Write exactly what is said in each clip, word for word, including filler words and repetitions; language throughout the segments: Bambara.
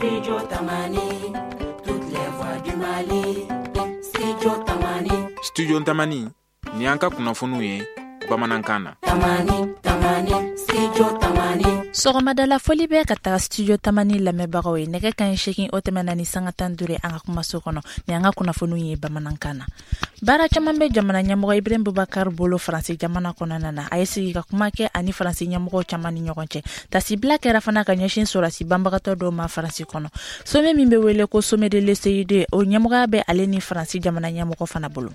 Studio Tamani, toutes les voix du Mali. Studio Tamani. Studio Tamani, ni an ka kunnafoniw ye bamanankan na. Tamani, Tamani, Studio Tamani. Sɔgɔmadala foli bɛ ka taga Studio Tamani lamɛnbagaw ye. Nɛgɛ kanɲɛ seegin o tɛmɛna ni sanga tan duuru an ka kumaso kɔnɔ. Ni an ka kunnafoniw ye bamanankan na. Baara caman bɛ jamana ɲɛmɔgɔ Ibrahim Boubacar bolo Faransi jamana kɔnɔna na. A ye sigi ka kuma kɛ ani Faransi ɲɛmɔgɔw caman ni ɲɔgɔn cɛ. Tasibila kɛra fana ka ɲɛsin sɔrɔdasi banbagatɔ dɔw ma Faransi kɔnɔ. Sommet min bɛ wele ko sommet de l'E C I D, o ɲɛmɔgɔya bɛ ale ni Faransi jamana ɲɛmɔgɔ fana bolo.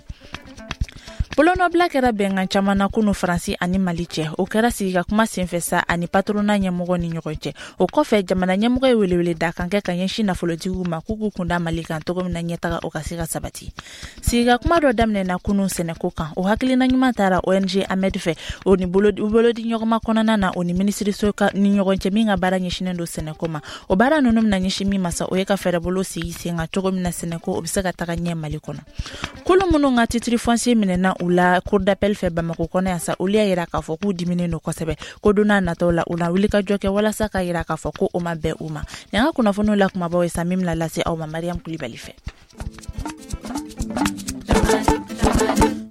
Bolonɔbila kɛra bɛnkan caman na kunu Faransi ani Mali cɛ. O kɛra sigi ka kuma senfɛ sa ani patronat ɲɛmɔgɔ ni ɲɔgɔn cɛ. O kɔfɛ, jamana ɲɛmɔgɔ ye welewele da kan kɛ ka ɲɛsin nafolotigiw ma k'u k'u kunda Mali kan cogo min na ɲɛtaga o ka se ka sabati. Sigi ka kuma dɔ daminɛna kunu sɛnɛko kan. O hakilina ɲuman taara O N G Ahmed fɛ, o ni bolo di ɲɔgɔnma kɔnɔna na, o ni minisiriso ni ɲɔgɔn cɛ min ka baara ɲɛsinnen don sɛnɛko ma. O baara ninnu bɛna ɲɛsin min ma sa, o ye ka fɛɛrɛbolo sigi sen kan cogo min na sɛnɛko o bɛ se ka taga ɲɛ Mali kɔnɔ. Kulu minnu ka titre foncier minɛna u la cour d'appel fɛ Bamako kɔnɔ yan sa, olu y'a yira k'a fɔ k'u diminen don kosɛbɛ, ko don n'a nataw la u na wuli ka jɔ kɛ walasa ka yira k'a fɔ ko o ma bɛn u ma. Nin an ka kunnafoniw la kumabaw ye sa, min bɛna lase aw ma Mariam Kulibali fɛ.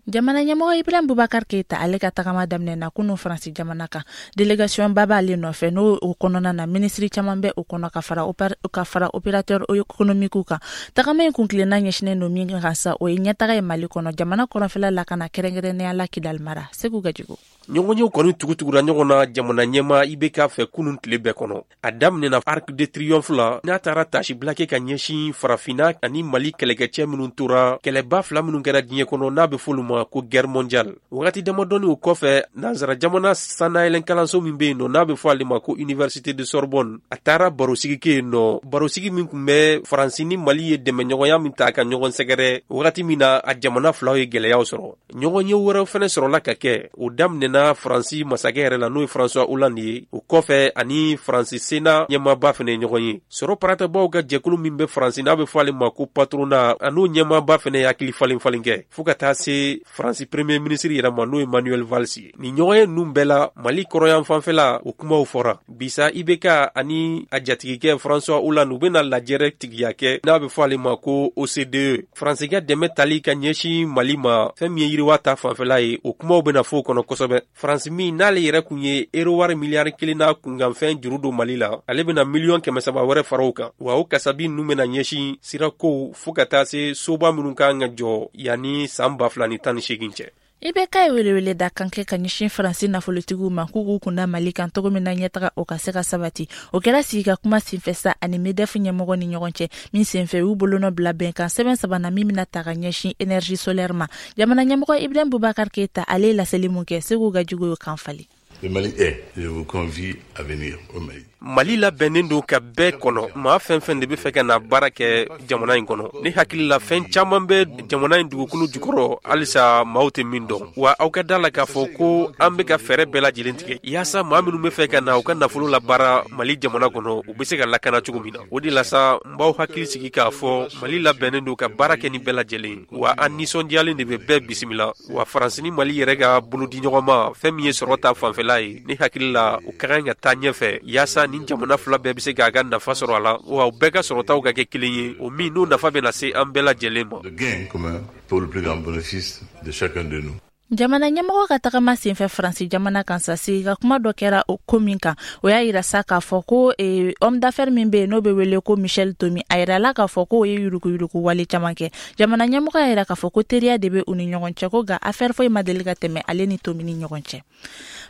Jamana ɲɛmɔgɔ Ibrahim Boubacar Keita, ale ka tagama daminɛna kunu Faransi jamana kan. Délégation ba b'ale nɔfɛ, n'o o kɔnɔna na minisiri caman bɛ o kɔnɔ ka fara ka fara opérateur économique kan. Tagama in kuntilenna ɲɛsinnen don min kan sa, o ye ɲɛtaga ye Mali kɔnɔ, jamana kɔrɔnfɛla lakana, kɛrɛnkɛrɛnnenya la Kidal mara. Segu Gajigo. Ɲɔgɔnyew kɔni tugutugura ɲɔgɔn na jamana ɲɛma I B K fɛ kunun tile bɛɛ kɔnɔ. A daminɛna Arc de Triomphe la, n'a taara tasibila kɛ ka ɲɛsin Farafinna ani Mali kɛlɛkɛcɛ minnu tora kɛlɛba fila minnu kɛra diɲɛ kɔnɔ, n'a bɛ f'olu ma ko guerre mondiale. Wagati damadɔni o kɔfɛ, nansara jamana sannayɛlɛn kalanso min bɛ yen nɔ, n'a bɛ fɔ ale ma ko Université de Sorbonne, a taara barosigi kɛ yen nɔ, barosigi min tun bɛ Faransi ni Mali ye dɛmɛɲɔgɔnya min ta ka ɲɔgɔn sɛgɛrɛ wagati min na a jamana filaw ye gɛlɛyaw sɔrɔ. Ɲɔgɔnye wɛrɛw fɛnɛ sɔrɔla ka kɛ. O daminɛna Faransi masakɛ yɛrɛ la, n'o ye François Hollande ye. O kɔfɛ, ani Faransi Sena ɲɛmaaba fɛnɛ ye ɲɔgɔn ye. Sɔrɔ paratabaw ka jɛkulu min bɛ Faransi, n'a bɛ fɔ ale ma ko patronat, a n'o ɲɛmaaba fɛnɛ ye hakili falen falen kɛ, fɔɔ ka taa se Faransi premier ministre yɛrɛ ma, n'o ye Manuel Valls ye. Nin ɲɔgɔnye ninnu bɛɛ la, Mali kɔrɔyan fanfɛla o kumaw fɔra. Bisa I B K ani a jatigikɛ François Hollande, u bɛna lajɛrɛ tigiya kɛ, n'a bɛ fɔ ale ma ko O C D E. Faransi ka dɛmɛ tali ka ɲɛsin Mali ma, fɛn min ye yiriwa ta fanfɛla ye, o kumaw bɛna fɔ o kɔnɔ kosɛbɛ. Faransi min n'ale yɛrɛ kun ye euro wari miliyari kelen n'a kunkanfɛn juru don Mali la, ale bɛna miliyɔn kɛmɛ saba wɛrɛ fara o kan. Wa o kasabi ninnu bɛna ɲɛsin sirakow fɔɔ ka taa se soba minnu kan ka jɔ yanni san ba fila ni tan ni seegin cɛ. I B K ye welewele da kan kɛ ka ɲɛsin Faransi nafolotigiw ma k'u k'u kunda Mali kan cogo min na ɲɛtaga o ka se ka sabati. O kɛra sigi ka kuma senfɛ sa ani MEDEF ɲɛmɔgɔ ni ɲɔgɔn cɛ min senfɛ, u bolonɔ bila bɛnkan sɛbɛn saba na min bɛna ta ka ɲɛsin énergie solaire ma. Jamana ɲɛmɔgɔ Ibrahim Boubacar Keita, ale ye laseli mun kɛ, Segu Gajigo y'o kan falen. Le Mali est, je vous convie à venir au Mali. Mali labɛnnen don ka bɛɛ kɔnɔ. Maa fɛn fɛn de bɛ fɛ ka na baara kɛ jamana in kɔnɔ, ne hakili la fɛn caman bɛ jamana in dugukolo jukɔrɔ halisa maaw tɛ min dɔn. Wa aw ka da la k'a fɔ ko an bɛ ka fɛɛrɛ bɛɛ lajɛlen tigɛ yaasa maa minnu bɛ fɛ ka na u ka nafolo la baara Mali jamana kɔnɔ, u bɛ se ka lakana cogo min na. O de la sa, n b'aw hakili sigi k'a fɔ Mali labɛnnen don ka baara kɛ ni bɛɛ lajɛlen, wa an nisɔndiyalen de bɛ bɛɛ bisimila. Wa Faransi ni Mali yɛrɛ ka bolodi ɲɔgɔn ma, fɛn min ye sɔrɔ ta fanfɛla ye, ne hakili la o ka kan ka taa ɲɛfɛ yaasa ni jamana fila bɛɛ bɛ se k'a ka nafa sɔrɔ a la, wa u bɛɛ ka sɔrɔtaw ka kɛ kelen ye, o min n'o nafa bɛna se an bɛɛ lajɛlen ma. Le gain commun pour le plus grand bénéfice de chacun de nous. Jamana ɲɛmɔgɔ ka tagama senfɛ Faransi jamana kan sa, sigi ka kuma dɔ kɛra o ko min kan, o y'a yira sa k'a fɔ ko eh, homme d'affaires min bɛ yen, n'o bɛ wele ko Michel Tomi, a yirala k'a fɔ k'o ye yuruguyurugu wale caman kɛ. Jamana ɲɛmɔgɔ y'a yira k'a fɔ ko teriya de bɛ u ni ɲɔgɔn cɛ, ko nka affaire foyi ma deli ka tɛmɛ ale ni Tomi ni ɲɔgɔn cɛ.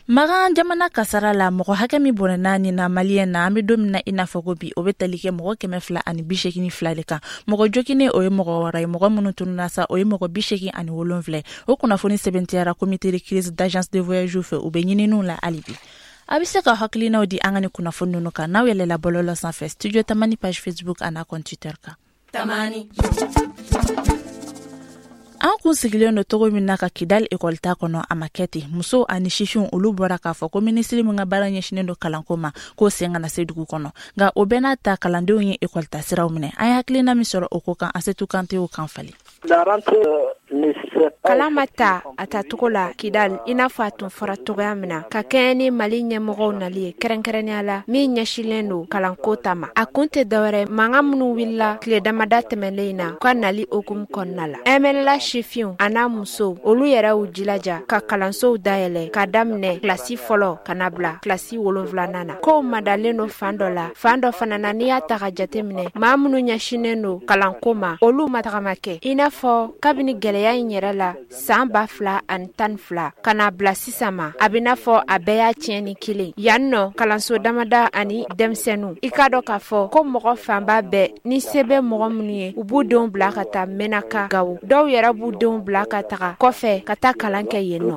Magan jamana kasara la, mɔgɔ hakɛ min bɔnɛna nin na maliyɛn na, an bɛ don min na i n'a fɔ ko bi, o bɛ tali kɛ mɔgɔ kɛmɛ fila ani bi seegin fila de kan. Mɔgɔ joginen, o ye mɔgɔ wɔɔrɔ ye. Mɔgɔ minnu tununa sa, o ye mɔgɔ bi seegin ani wolonfila. O kunnafoni sɛbɛntiyara comité de crise d'agence de voyage fɛ. U bɛ ɲininiw la hali bi. A bɛ se ka hakilinaw di an ka ni kunnafoni ninnu kan n'aw yɛlɛla bɔlɔlɔ sanfɛ, Studio Tamani page Facebook an'a compte Twitter kan. Tamani. An kun sigilen don cogo min na ka Kidali ekɔli ta kɔnɔ, a ma kɛ ten. Musow ani sifinw, olu bɔra k'a fɔ ko minisiri min ka baara ɲɛsinen don kalanko ma, k'o sen kana se dugu kɔnɔ. Nka o bɛɛ n'a ta, kalandenw ye ekɔli ta siraw minɛ. An ye hakilina min sɔrɔ o ko kan, Asetu Kante y'o kan falen. La rentrée ne Kalan ma ta a tacogo la Kidal i n'a fɔ a tun fɔra cogoya min na, ka kɛɲɛ ni Mali ɲɛmɔgɔw nali ye, kɛrɛnkɛrɛnnenya la min ɲɛsinlen don kalanko ta ma. A kun tɛ dɔwɛrɛ, mankan minnu wulila tile damada tɛmɛnen in na u ka nali hukumu kɔnɔna la. M N L A sifinw a n'a musow, olu yɛrɛ y'u jilaja ka kalansow dayɛlɛ ka daminɛ kilasi fɔlɔ ka na bila kilasi wolonfilanan na. Kow madalen don fan dɔ la, fan dɔ fana na, n'i y'a ta ka jateminɛ, maa minnu ɲɛsinnen don kalanko ma, olu ma tagama kɛ. I n'a fɔ kabini gɛlɛya in yɛrɛ la san ba fila ani tan fila ka na bila sisan ma, a bɛ n'a fɔ a bɛɛ y'a tiɲɛni kelen. Yan nɔ, kalanso damada ani denmisɛnninw, i k'a dɔn k'a fɔ ko mɔgɔ fanba bɛɛ ni se bɛ mɔgɔ minnu ye, u b'u denw bila ka taa Menaka, Gawo. Dɔw yɛrɛ b'u denw bila ka taga kɔfɛ ka taa kalan kɛ yen nɔ.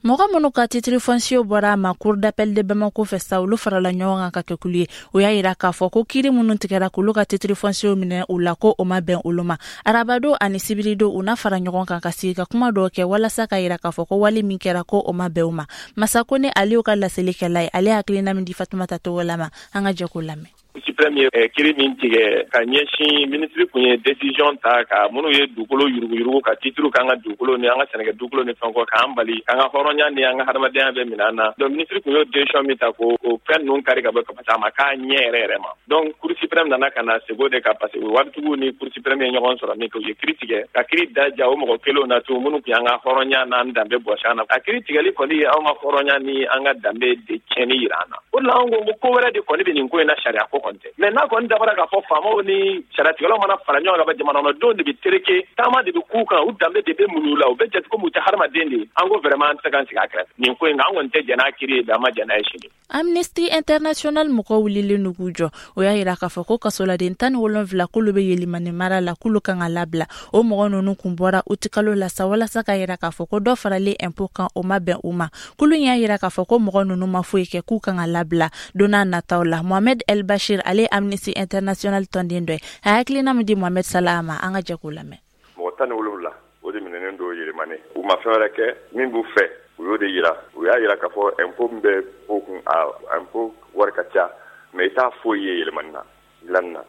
Mɔgɔ minnu ka titre foncier bɔra a ma Cour d'appel de Bamako fɛ sa, olu farala ɲɔgɔn kan ka kɛ kulu ye. O y'a yira k'a fɔ ko kiiri minnu tigɛra k'olu ka titre foncier minɛ u la, ko o ma bɛn olu ma. Arabado ani sibiridon, u na fara ɲɔgɔn kan ka sigi ka kuma dɔw kɛ walasa ka yira k'a fɔ ko wale min kɛra, ko o ma bɛn u ma. Masako ni Aliyu ka laseli kɛla ye, ale hakilina min di Fatumata Togola ma, an ka jɛ k'o lamɛn. Suprême ye kiiri min tigɛ ka ɲɛsin minisiri kun ye décision ta ka minnu ye dugukolo yuruguyurugu ka titre k'an ka dugukolo ni an ka sɛnɛkɛ dugukolo ni fɛn kɔ, k'an bali k'an ka hɔrɔnya ni an ka hadamadenya bɛɛ minɛ an na. Donc minisiri kun y'o décision min ta ko o fɛn ninnu kari ka bɔ ka parce que a ma k'a ɲɛ yɛrɛ yɛrɛ ma. Donc Cour suprême nana ka na sego de kan, parce que waritigiw ni Cour suprême ye ɲɔgɔn sɔrɔ min kɛ, u ye kiiri tigɛ ka kiiri da ja o mɔgɔ kelenw na tun minnu kun y'an ka hɔrɔnya n'an danbe bɔsi an na. A kiiri tigɛli kɔni ye anw ka hɔrɔnya ni an ka danbe de tiɲɛni yira an na. O de la anw ko ko wɛrɛ de kɔni bɛ nin ko in na, sariya ko kɔni tɛ. Mais n'a kɔni dabɔra k'a fɔ faamaw ni sariyatigɛlaw mana fara ɲɔgɔn kan ka jamana kɔnɔdenw de bɛ tereke, taama de bɛ k'u kan, u danbe de bɛ muɲu la, u bɛ jate komi u tɛ hadamaden de ye. An ko vraiment an tɛ se k'an sigi a kɛrɛfɛ nin ko in kan. An kɔni tɛ jɛn n'a kiiri ye bi, an ma jɛn n'a ye sini. Amnesty International mɔgɔw wulilen don k'u jɔ. O y'a yira k'a fɔ ko kasoladen tan ni wolonfila k'olu bɛ Yelimani mara la, k'olu kan ka labila. O mɔgɔ ninnu kun bɔra utikalo la sa walasa ka yira k'a fɔ ko dɔ faralen impôt kan, o ma bɛn u ma. Kulu y'a yira k'a fɔ ko mɔgɔ ninnu ma foyi kɛ, k'u kan ka labila don n'a nataw la. Mohamed El Bashir, ale ye Amnesty International tɔnden dɔ ye, a hakilina min di Mohamed Salah ma, an ka jɛ k'o lamɛn. Mɔgɔ tan ni wolonwula o de minɛnen don Yelimani. U ma fɛn wɛrɛ kɛ, min b'u fɛ u y'o de yira. U y'a yira k'a fɔ impôt min bɛ ko kun, a impôt wari ka ca, mais i t'a foyi ye Yelimani na dilanni na.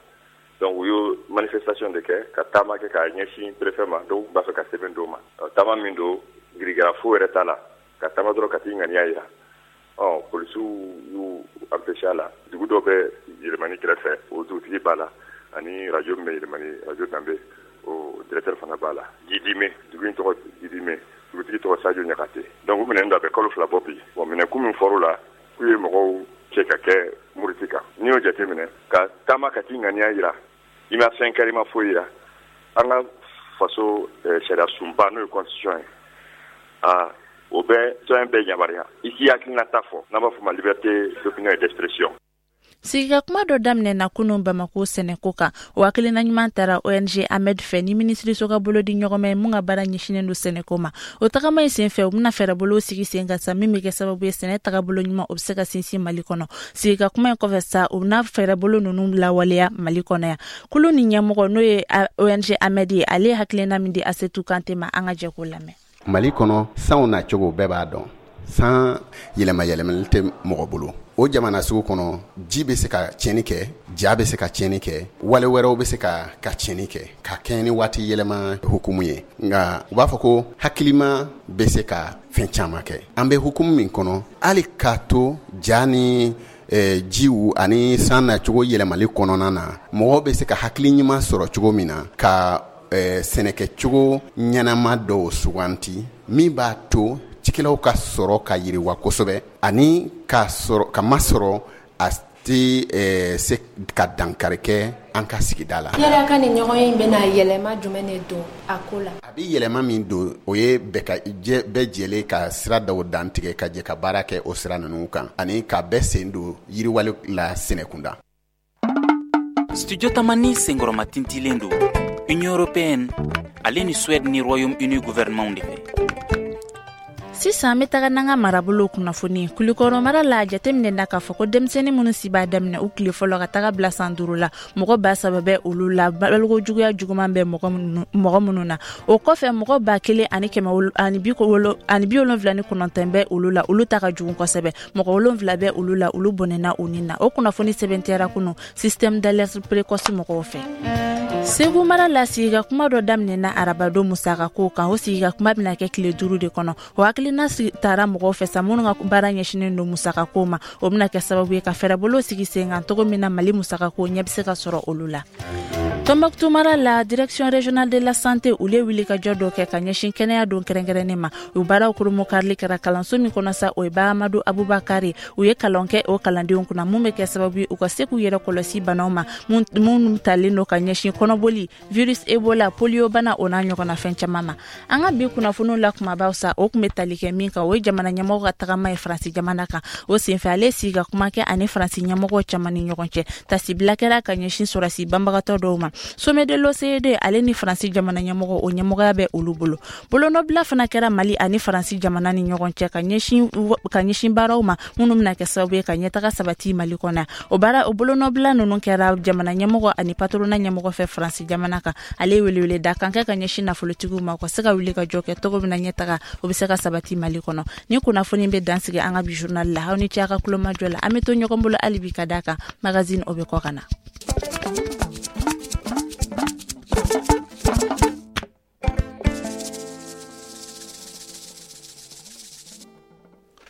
Donc u y'o manifestation de kɛ ka taama kɛ k'a ɲɛsin préfet ma. Dɔw b'a fɛ ka sɛbɛn d'o ma. Taama min don, girigara foyi yɛrɛ t'a la, ka taama dɔrɔn ka t'i ŋaniya yira. Ɔ polisiw y'u empêché a la. Dugu dɔ bɛ Yelimani kɛrɛfɛ, o dugutigi b'a la, ani radio min bɛ Yelimani, radio Danbe, o directeur fana b'a la. Jidime, dugu in tɔgɔ Jidime, dugutigi tɔgɔ Sadio Ɲakate. Donc u minɛnen don, a bɛ kalo fila bɔ bi. Bon, minɛkun min fɔr'u la, k'u ye mɔgɔw cɛ ka kɛ muruti kan. N'i y'o jateminɛ, ka taama ka t'i ŋaniya yira, i ma fɛn kɛra, i ma foyi yira. An ka faso sariya sunba, n'o ye constitution ye, aa o bɛ citoyen bɛɛ yamaruya i k'i hakilinata fɔ, n'an b'a fɔ ma liberté d'opinion et d'expression. Sigikakuma dɔ daminɛna kunun Bamako sɛnɛko kan. O hakilina ɲuman taara O N G Ahmed fɛ ni minisiriso ka bolodi ɲɔgɔnma ye mun ka baara ɲɛsinnen don sɛnɛko ma. O tagama in senfɛ, u bɛna fɛɛrɛbolow sigi sen kan sa min bɛ kɛ sababu ye sɛnɛ tagabolo ɲuman o bɛ se ka sinsin Mali kɔnɔ. Sigikakuma in kɔfɛ sa, u bɛna fɛɛrɛbolo ninnu lawaleya Mali kɔnɔ yan. Kulu ni ɲɛmɔgɔ n'o ye O N G Ahmed ye, ale ye hakilina min di Asetu Kante ma, an ka jɛ k'o lamɛn. Mali kɔnɔ, sanw na cogo bɛɛ b'a dɔn, san yɛlɛma yɛlɛmali tɛ mɔgɔ bolo. O jamana sugu kɔnɔ, ji bɛ se ka tiɲɛni kɛ, ja bɛ se ka tiɲɛni kɛ, wale wɛrɛw bɛ se ka ka tiɲɛni kɛ ka kɛɲɛ ni waati yɛlɛma hukumu ye. Nka u b'a fɔ ko hakilima bɛ se ka fɛn caman kɛ. An bɛ hukumu min kɔnɔ, hali k'a to ja ni eh, jiw ani san nacogo yɛlɛmali kɔnɔna na, mɔgɔw bɛ se ka hakili ɲuman sɔrɔ cogo min na ka eh, sɛnɛkɛcogo ɲɛnama dɔw suganti min b'a to cikɛlaw ka sɔrɔ ka yiriwa kosɛbɛ, ani ka sɔrɔ ka masɔrɔ a tɛ eh, se ka dankari kɛ an ka sigida la. Yala ka nin ɲɔgɔn in bɛna yɛlɛma jumɛn de don a ko la? A bɛ yɛlɛma min don, o ye bɛɛ ka jɛ bɛɛ jɛlen ka sira dɔw dantigɛ ka jɛ ka baara kɛ o sira ninnu kan, ani ka bɛɛ sen don yiriwali la sɛnɛkunda. Studio Tamani senkɔrɔma tintilen don Union européenne ale ni Suède ni Royaume-Uni gouvernement de fɛ. Sisan an bɛ taga n'an ka marabolo kunnafoni. Kulikɔrɔ mara la, jateminɛ na k'a fɔ ko denmisɛnnin minnu si b'a daminɛ u tile fɔlɔ ka taga bila san duuru la, mɔgɔ ba saba bɛ olu la baloko juguya juguman bɛ mɔgɔ minnu na. O kɔfɛ, mɔgɔ ba kelen ani kɛmɛ ani bi ani bi wolonwula ni kɔnɔntɔn bɛ olu la, olu ta ka jugu kosɛbɛ. Mɔgɔ wolonwula bɛ olu la, olu bɔnɛna u ni na. O kunnafoni sɛbɛntiyara kunu système d'alerte précoce mɔgɔw fɛ. Segu mara la, sigika kuma dɔ daminɛna arabadon musakako kan. O sigika kuma bɛna kɛ tile duuru de kɔnɔ. O hakilina taara mɔgɔw fɛ sa minnu ka baara ɲɛsinnen don musakako ma. O bɛna kɛ sababu ye ka fɛɛrɛbolo sigi sen kan cogo min na Mali musakako ɲɛ bɛ se ka sɔrɔ olu la. Tombouctou mara la, Direction régionale de la santé, olu ye wuli ka jɔ dɔ kɛ ka ɲɛsin kɛnɛya don kɛrɛnkɛrɛnnen ma. U baaraw koromokarili kɛra kalanso min kɔnɔ sa, o ye Bahamadu Abubakari. U ye kalan kɛ o kalandenw kunna mun bɛ kɛ sababu ye u ka se k'u yɛrɛ kɔlɔsi banaw ma minnu talen don ka ɲɛsin kɔnɔboli, virus Ebola, polio bana, o n'a ɲɔgɔnna fɛn caman ma. An ka bi kunnafoniw la kumabaw sa, o tun bɛ tali kɛ min kan, o ye jamana ɲɛmɔgɔ ka tagama ye Faransi jamana kan. O senfɛ, ale sigi ka kuma kɛ ani Faransi ɲɛmɔgɔw caman ni ɲɔgɔn cɛ. Tasibila kɛra ka ɲɛsin sɔrɔsi banbagatɔ dɔw ma. Sommet de l'O C E D, ale ni Faransi jamana ɲɛmɔgɔ, o ɲɛmɔgɔya bɛ olu bolo. Bolonɔbila fana kɛra Mali ani Faransi jamana ni ɲɔgɔn cɛ ka ɲɛsin ka ɲɛsin baaraw ma minnu bɛna kɛ sababu ye ka ɲɛtaga sabati Mali kɔnɔ. O baara, o bolonɔbila ninnu kɛra jamana ɲɛmɔgɔ ani patronat ɲɛmɔgɔ fɛ Faransi jamana kan. Ale ye welewele da kan kɛ ka ɲɛsin nafolotigiw ma, u ka se ka wuli ka jɔ kɛ cogo min na ɲɛtaga o bɛ se ka sabati Mali kɔnɔ. Ni kunnafoni bɛ dansigi an ka bi journal la. Aw ni ce a ka kulomajɔ la. An bɛ to ɲɔgɔn bolo hali bi, ka d'a kan magazine o bɛ kɔ ka na.